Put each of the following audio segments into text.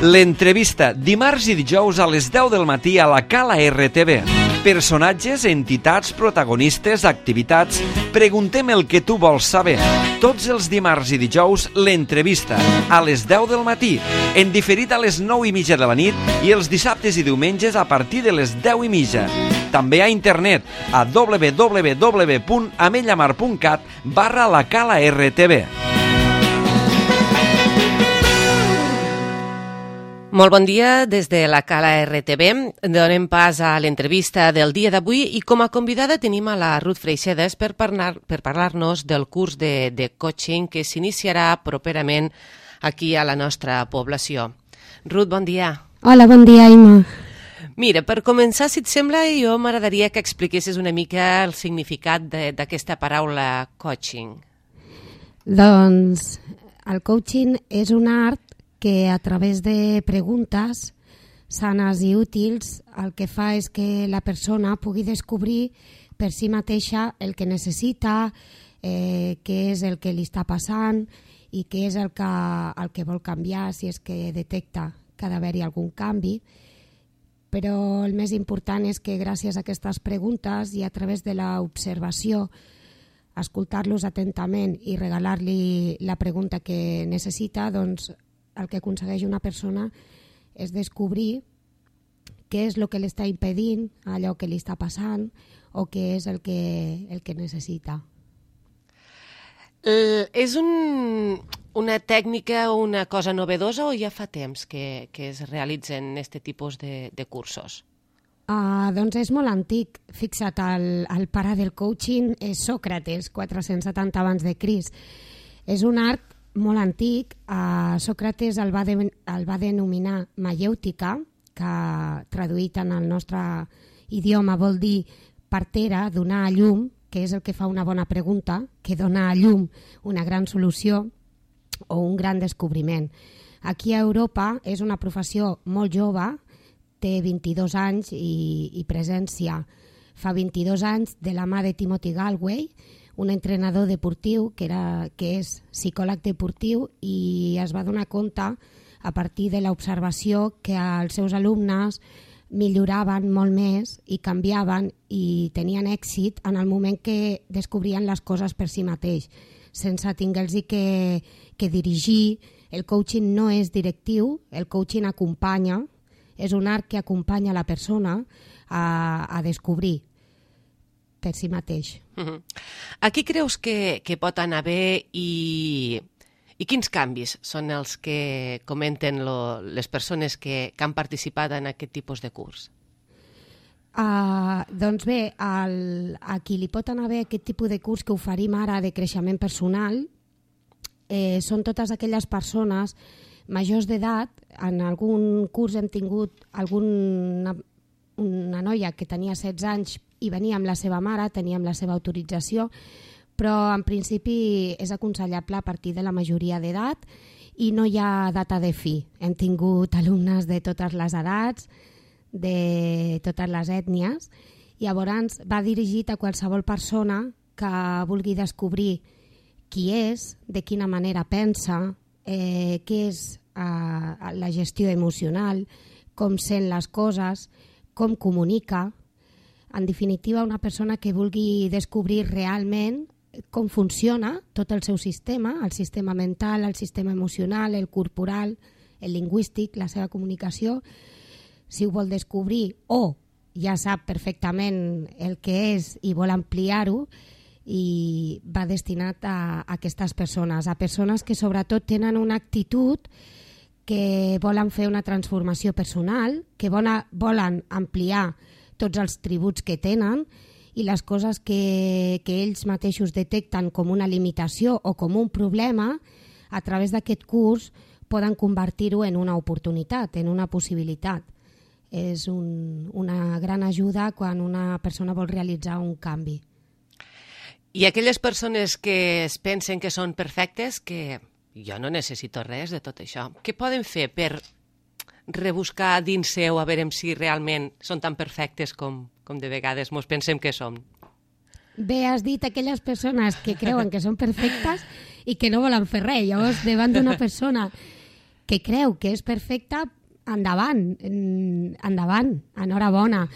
L'entrevista, dimarts i dijous a les 10 del matí a la Cala RTV. Personatges, entitats, protagonistes, activitats. Preguntem el que tu vols saber. Tots els dimarts i dijous, l'entrevista, a les 10 del matí, en diferit a les 9:30 de la nit i els dissabtes i diumenges a partir de les 10:30. També a internet a www.ametlllamar.cat/la Cala RTV. Molt bon dia des de la Cala RTV. Donem pas a l'entrevista del dia d'avui i com a convidada tenim a la Ruth Freixedas per parlar-nos del curs de coaching que s'iniciarà properament aquí a la nostra població. Ruth, bon dia. Hola, bon dia, Imma. Mira, per començar, si et sembla, jo m'agradaria que expliquessis una mica el significat d'aquesta paraula coaching. Doncs el coaching és un art que a través de preguntes sanes i útils el que fa és que la persona pugui descobrir per si mateixa el que necessita, què és el que li està passant i què és el que vol canviar si és que detecta que ha d'haver-hi algun canvi. Però el més important és que gràcies a aquestes preguntes i a través de l'observació, escoltar-los atentament i regalar-li la pregunta que necessita, doncs el que aconsegueix una persona és descobrir què és el que li està impedint, allò que li està passant o què és el que necessita. És una tècnica o una cosa novedosa o ja fa temps que es realitzen aquest tipus de cursos? Doncs és molt antic. Fixa't, el pare del coaching és Sòcrates, 470 abans de Crist. És un art molt antic. Sòcrates el va denominar maièutica, que traduït en el nostre idioma vol dir partera, donar a llum, que és el que fa una bona pregunta, que dona a llum una gran solució o un gran descobriment. Aquí a Europa és una professió molt jove, té 22 anys i presència fa 22 anys de la mà de Timothy Galway, un entrenador deportiu que és psicòleg deportiu i es va donar compte a partir de l'observació que els seus alumnes milloraven molt més i canviaven i tenien èxit en el moment que descobrien les coses per si mateix, sense tinguer-los que dirigir. El coaching no és directiu, el coaching acompanya, és un art que acompanya la persona a descobrir per si mateix. A qui creus que pot anar bé i quins canvis són els que comenten les persones que han participat en aquest tipus de curs? Doncs bé, a qui li pot anar bé aquest tipus de curs que oferim ara de creixement personal són totes aquelles persones majors d'edat. En algun curs hem tingut una noia que tenia 16 anys i venia amb la seva mare, tenia amb la seva autorització, però en principi és aconsellable a partir de la majoria d'edat i no hi ha data de fi. Hem tingut alumnes de totes les edats, de totes les ètnies, i llavors va dirigit a qualsevol persona que vulgui descobrir qui és, de quina manera pensa, què és la gestió emocional, com sent les coses, com comunica. En definitiva, una persona que vulgui descobrir realment com funciona tot el seu sistema, el sistema mental, el sistema emocional, el corporal, el lingüístic, la seva comunicació, si ho vol descobrir o ja sap perfectament el que és i vol ampliar-ho, i va destinat a aquestes persones, a persones que sobretot tenen una actitud que volen fer una transformació personal, que volen ampliar tots els tributs que tenen i les coses que ells mateixos detecten com una limitació o com un problema, a través d'aquest curs poden convertir-ho en una oportunitat, en una possibilitat. És una gran ajuda quan una persona vol realitzar un canvi. I aquelles persones que es pensen que són perfectes, que jo no necessito res de tot això, què poden fer per rebuscar dins seu a veure si realment són tan perfectes com de vegades mos pensem que som? Bé, has dit aquelles persones que creuen que són perfectes i que no volen fer res. Llavors, davant d'una persona que creu que és perfecta, endavant, enhorabona.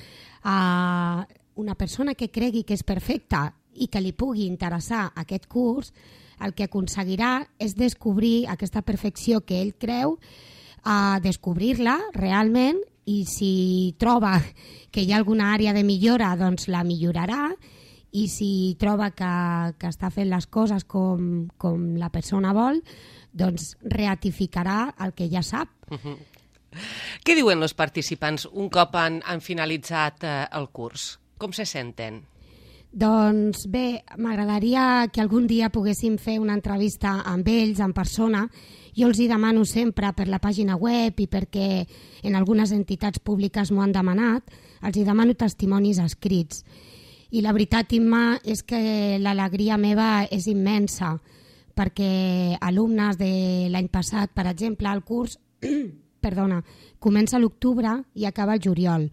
Una persona que cregui que és perfecta i que li pugui interessar aquest curs, el que aconseguirà és descobrir aquesta perfecció que ell creu, descobrir-la realment, i si troba que hi ha alguna àrea de millora, doncs la millorarà, i si troba que està fent les coses com la persona vol, doncs ratificarà el que ja sap. Què diuen els participants un cop han finalitzat el curs? Com se senten? Doncs bé, m'agradaria que algun dia poguéssim fer una entrevista amb ells, en persona. Jo els hi demano sempre per la pàgina web i perquè en algunes entitats públiques m'ho han demanat, els hi demano testimonis escrits. I la veritat, Imma, és que l'alegria meva és immensa, perquè alumnes de l'any passat, per exemple, el curs comença a l'octubre i acaba al juliol.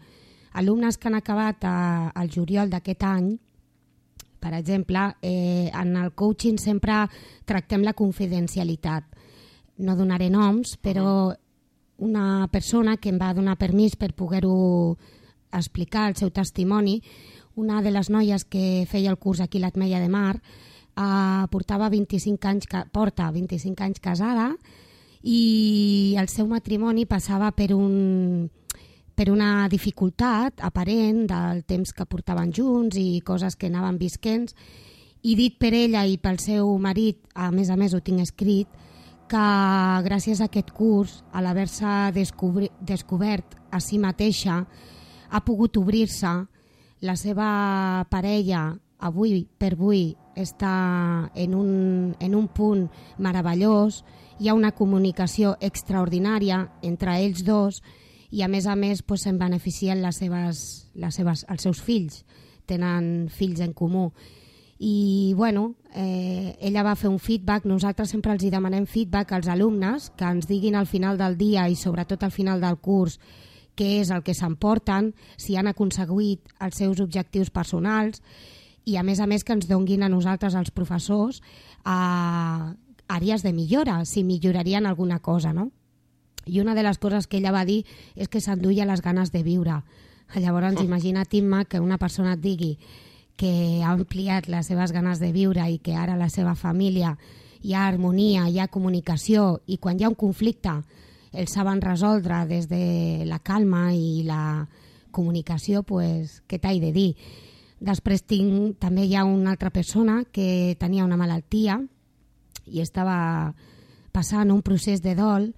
Alumnes que han acabat al juliol d'aquest any, per exemple, en el coaching sempre tractem la confidencialitat. No donaré noms, però una persona que em va donar permís per poder-ho explicar, el seu testimoni, una de les noies que feia el curs aquí a l'Ametlla de Mar, porta 25 anys casada, i el seu matrimoni passava per una dificultat aparent del temps que portaven junts i coses que anaven visquents, i dit per ella i pel seu marit, a més ho tinc escrit, que gràcies a aquest curs, a l'haver-se descobert a si mateixa, ha pogut obrir-se. La seva parella, avui per avui, està en un punt meravellós, hi ha una comunicació extraordinària entre ells dos, i a més se'n beneficien els seus fills, tenen fills en comú. I ella va fer un feedback. Nosaltres sempre els demanem feedback als alumnes, que ens diguin al final del dia i sobretot al final del curs què és el que s'emporten, si han aconseguit els seus objectius personals, i a més que ens donguin a nosaltres, els professors, àrees de millora, si millorarien alguna cosa, no? I una de les coses que ella va dir és que s'enduia les ganes de viure. Llavors, imagina't, Imma, que una persona et digui que ha ampliat les seves ganes de viure i que ara la seva família hi ha harmonia, hi ha comunicació, i quan hi ha un conflicte el saben resoldre des de la calma i la comunicació, doncs què t'he de dir? Després també hi ha una altra persona que tenia una malaltia i estava passant un procés de dol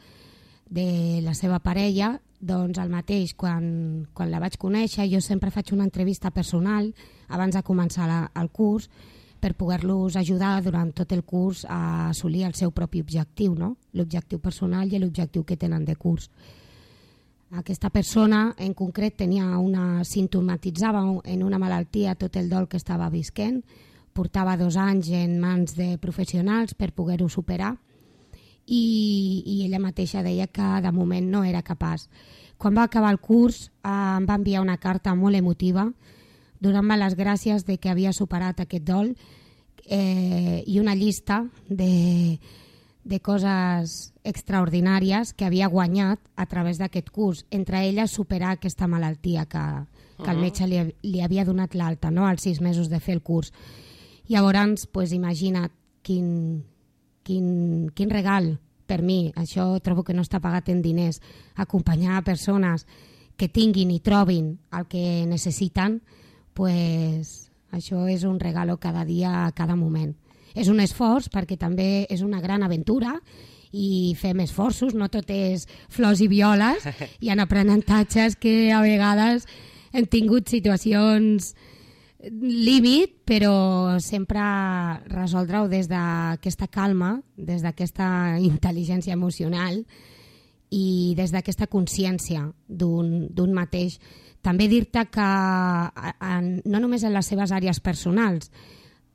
de la seva parella. Doncs el mateix, quan la vaig conèixer, jo sempre faig una entrevista personal abans de començar el curs per poder-los ajudar durant tot el curs a assolir el seu propi objectiu, no? L'objectiu personal i l'objectiu que tenen de curs. Aquesta persona en concret simptomatitzava en una malaltia tot el dol que estava visquent, portava 2 anys en mans de professionals per poder-ho superar, i ella mateixa deia que de moment no era capaç. Quan va acabar el curs em va enviar una carta molt emotiva donant-me les gràcies de que havia superat aquest dol, i una llista de coses extraordinàries que havia guanyat a través d'aquest curs, entre elles superar aquesta malaltia que el metge li havia donat l'alta, no?, als 6 mesos de fer el curs. Llavors, imagina't quin regal per mi. Això trobo que no està pagat en diners. Acompanyar a persones que tinguin i trobin el que necessiten, això és un regalo cada dia, a cada moment. És un esforç perquè també és una gran aventura i fem esforços, no tot és flors i violes, hi ha aprenentatges que a vegades hem tingut situacions límit, però sempre resoldre-ho des d'aquesta calma, des d'aquesta intel·ligència emocional i des d'aquesta consciència d'un mateix. També dir-te que no només en les seves àrees personals,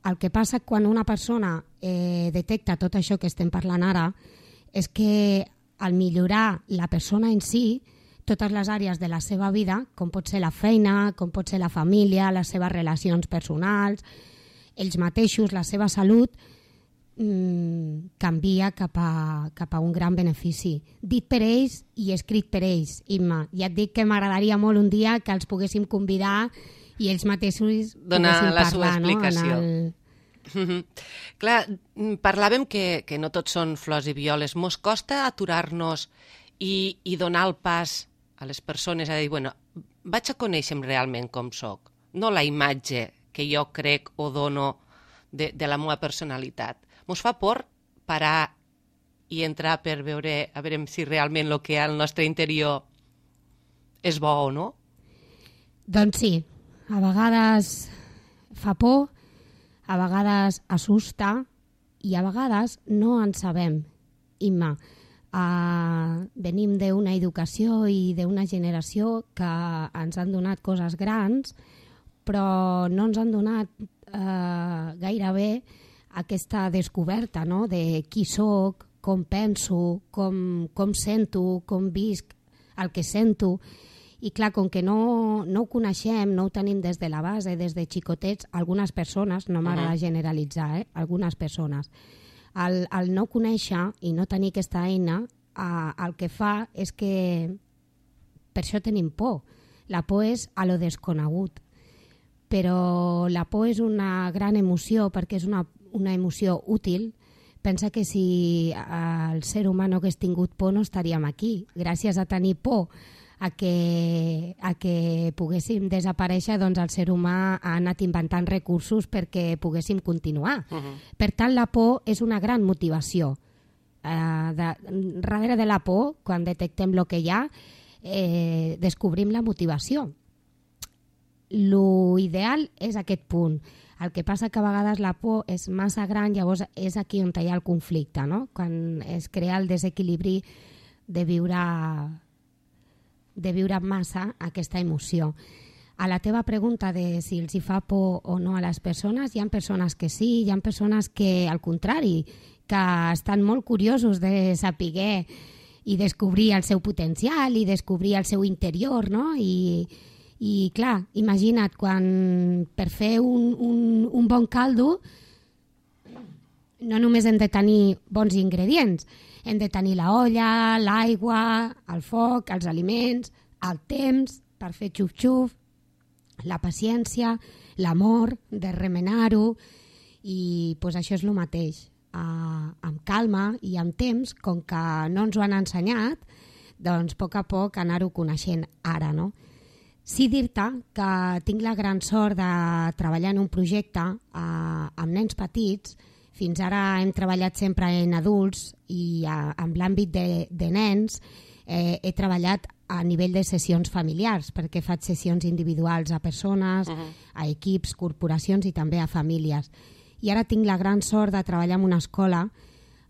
el que passa quan una persona detecta tot això que estem parlant ara és que al millorar la persona en si, totes les àrees de la seva vida, com pot ser la feina, com pot ser la família, les seves relacions personals, ells mateixos, la seva salut, canvia cap a un gran benefici. Dit per ells i escrit per ells, Imma. Ja et dic que m'agradaria molt un dia que els poguéssim convidar i ells mateixos donar poguessin la parlar, seva explicació. No? Clar, parlàvem que no tot són flors i violes. Mos costa aturar-nos i donar el pas a les persones a dir, bueno, vaig a conèixer realment com soc, no la imatge que jo crec o dono de la meva personalitat. Mos fa por parar i entrar per veure a veure si realment el que hi ha al nostre interior és bo o no? Doncs sí, a vegades fa por, a vegades assusta i a vegades no en sabem. Imma, venim d'una educació i d'una generació que ens han donat coses grans, però no ens han donat gairebé aquesta descoberta, no?, de qui soc, com penso, com sento, com visc el que sento. I clar, com que no ho coneixem, no ho tenim des de la base, des de xicotets, algunes persones, no m'agrada generalitzar, algunes persones, el no conèixer i no tenir aquesta eina, el que fa és que per això tenim por. La por és a lo desconegut. Però la por és una gran emoció perquè és una emoció útil. Pensa que si el ser humà no hagués tingut por no estaríem aquí. Gràcies a tenir por a que poguéssim desaparèixer, doncs el ser humà ha anat inventant recursos perquè poguéssim continuar. Per tant, la por és una gran motivació. Darrere de la por, quan detectem el que hi ha, descobrim la motivació. Lo ideal és aquest punt. El que passa que a vegades la por és massa gran, llavors és aquí on hi ha el conflicte, no? Quan es crea el desequilibri de viure massa aquesta emoció. A la teva pregunta de si els hi fa por o no a les persones, hi ha persones que sí, hi ha persones que, al contrari, que estan molt curiosos de saber i descobrir el seu potencial i descobrir el seu interior, no? I clar, imagina't, quan per fer un bon caldo no només hem de tenir bons ingredients, hem de tenir la olla, l'aigua, el foc, els aliments, el temps per fer xuf-xuf, la paciència, l'amor de remenar-ho, i pues, això és el mateix. Amb calma i amb temps, com que no ens ho han ensenyat, doncs a poc anar-ho coneixent ara, no? Sí dir-te que tinc la gran sort de treballar en un projecte amb nens petits. Fins ara hem treballat sempre en adults i en l'àmbit de nens he treballat a nivell de sessions familiars, perquè faig sessions individuals a persones, a equips, corporacions i també a famílies. I ara tinc la gran sort de treballar en una escola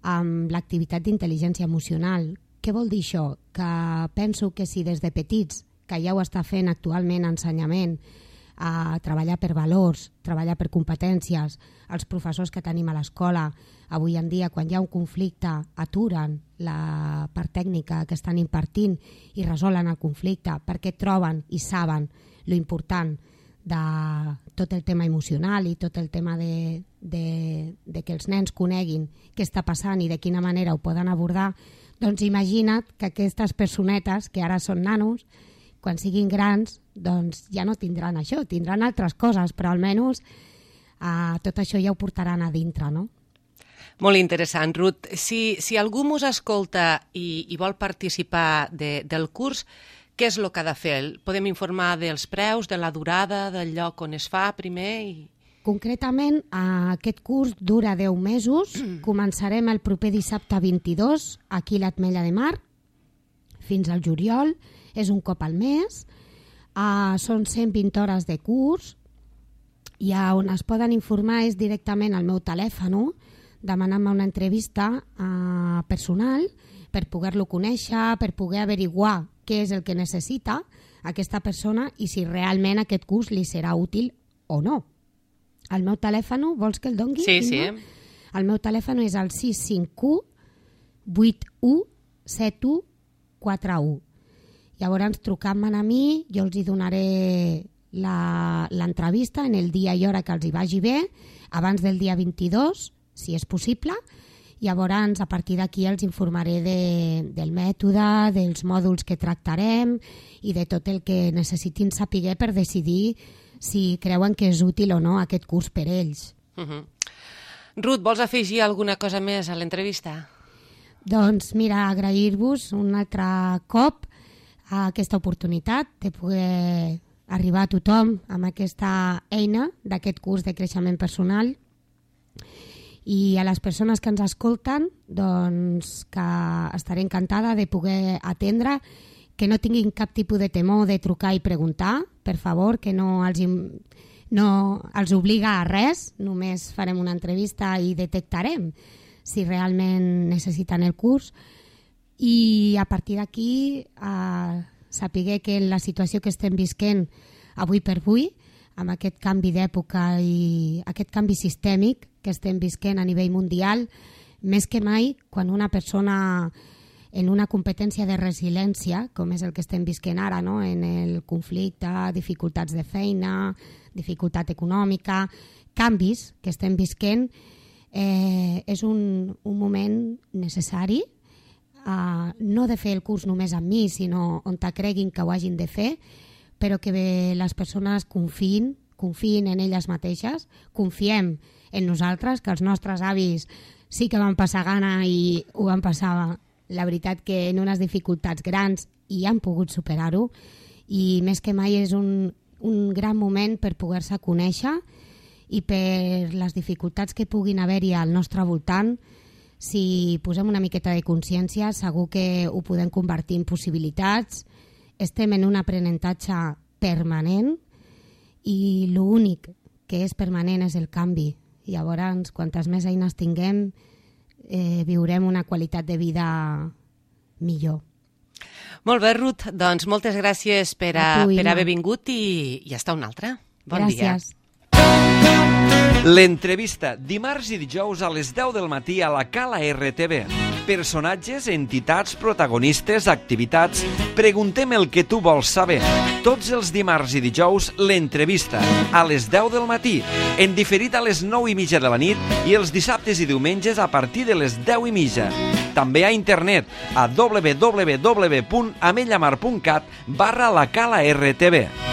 amb l'activitat d'intel·ligència emocional. Què vol dir això? Que penso que si des de petits, que ja ho està fent actualment ensenyament, a treballar per valors, treballar per competències, els professors que tenim a l'escola, avui en dia, quan hi ha un conflicte, aturen la part tècnica que estan impartint i resolen el conflicte perquè troben i saben lo important de tot el tema emocional i tot el tema de que els nens coneguin què està passant i de quina manera ho poden abordar, doncs imagina't que aquestes personetes, que ara són nanos, quan siguin grans, doncs ja no tindran això, tindran altres coses, però almenys tot això ja ho portaran a dintre, no? Molt interessant, Ruth. Si algú mos escolta i vol participar del curs, què és el que ha de fer? Podem informar dels preus, de la durada, del lloc on es fa primer? Concretament, aquest curs dura 10 mesos. Començarem el proper dissabte 22, aquí a l'Ametlla de Mar, fins al juliol. És un cop al mes, són 120 hores de curs, i on es poden informar és directament al meu telèfon, demanant-me una entrevista personal per poder-lo conèixer, per poder averiguar què és el que necessita aquesta persona i si realment aquest curs li serà útil o no. El meu telèfon, vols que el dongui? Sí. El meu telèfon és el 651 81 71 41. Llavors, trucant-me a mi, jo els hi donaré l'entrevista en el dia i hora que els hi vagi bé, abans del dia 22, si és possible. Llavors, a partir d'aquí els informaré del mètode, dels mòduls que tractarem i de tot el que necessitin saber per decidir si creuen que és útil o no aquest curs per ells. Ruth, vols afegir alguna cosa més a l'entrevista? Doncs mira, agrair-vos un altre cop a aquesta oportunitat de poder arribar a tothom amb aquesta eina d'aquest curs de creixement personal. I a les persones que ens escolten, doncs que estaré encantada de poder atendre, que no tinguin cap tipus de temor de trucar i preguntar, per favor, que no els obliga a res, només farem una entrevista i detectarem si realment necessiten el curs. I a partir d'aquí saber que la situació que estem visquent avui per avui, amb aquest canvi d'època i aquest canvi sistèmic que estem visquent a nivell mundial, més que mai, quan una persona en una competència de resiliència, com és el que estem visquent ara, no? En el conflicte, dificultats de feina, dificultat econòmica, canvis que estem visquent, és un moment necessari, no de fer el curs només amb mi, sinó on creguin que ho hagin de fer, però que les persones confiïn en elles mateixes, confiem en nosaltres, que els nostres avis sí que van passar gana i ho van passar, la veritat, que en unes dificultats grans i han pogut superar-ho, i més que mai és un gran moment per poder-se conèixer i per les dificultats que puguin haver-hi al nostre voltant. Si posem una miqueta de consciència, segur que ho podem convertir en possibilitats. Estem en un aprenentatge permanent i l'únic que és permanent és el canvi. Llavors, quantes més eines tinguem, viurem una qualitat de vida millor. Molt bé, Ruth. Doncs moltes gràcies per haver vingut i hasta una altra. Bon dia. Gràcies. L'entrevista, dimarts i dijous a les 10 del matí a la Cala RTV. Personatges, entitats, protagonistes, activitats... Preguntem el que tu vols saber. Tots els dimarts i dijous, l'entrevista, a les 10 del matí, en diferit a les 9:30 de la nit i els dissabtes i diumenges a partir de les 10:30. També a internet a www.amellamar.cat/la Cala RTV.